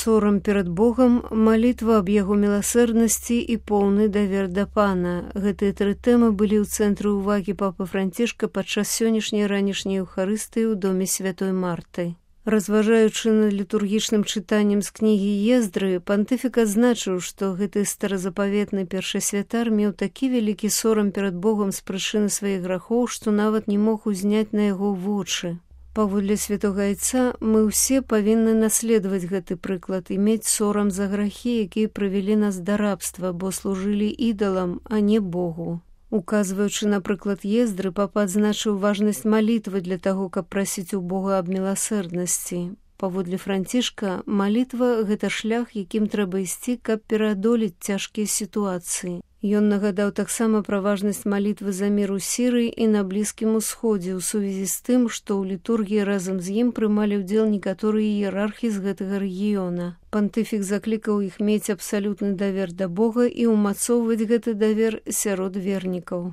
сорам перад Богам, малітва аб яго міласэрнасці і поўны давер да Пана. Гэтыя тры тэмы былі ў цэнтры ўвагі папы Францішка падчас сённяшняй ранішняй еўхарыстыі ў доме святой Марты. Разважаючы над літургічным чытаннем з кнігі Ездры, пантыфік адзначыў, што гэты старазапаветны першы святар меў такі вялікі сорам перад Богам з прычыны сваіх грахоў, што нават не мог узняць на яго вочы. Паводле святога айца, мы ўсе павінны наследаваць гэты прыклад і мець сорам за грахі, якія прывялі нас да рабства, бо служылі ідалам, а не Богу. Указваючы на прыклад Ездры, папа адзначыў важнасць малітвы для таго, каб прасіць у Бога аб міласэрнасці. Паводле Францішка, малітва – гэта шлях, якім трэба ісці, каб пераадолець цяжкія сітуацыі. Ён нагадаў таксама пра важнасць малітвы за мір у Сірыі і на Блізкім Усходзе ў сувязі з тым, што ў літургіі разам з ім прымалі ўдзел некаторыя іерархі з гэтага рэгіёна. Пантыфік заклікаў іх мець абсалютны давер да Бога і ўмацоўваць гэты давер сярод вернікаў.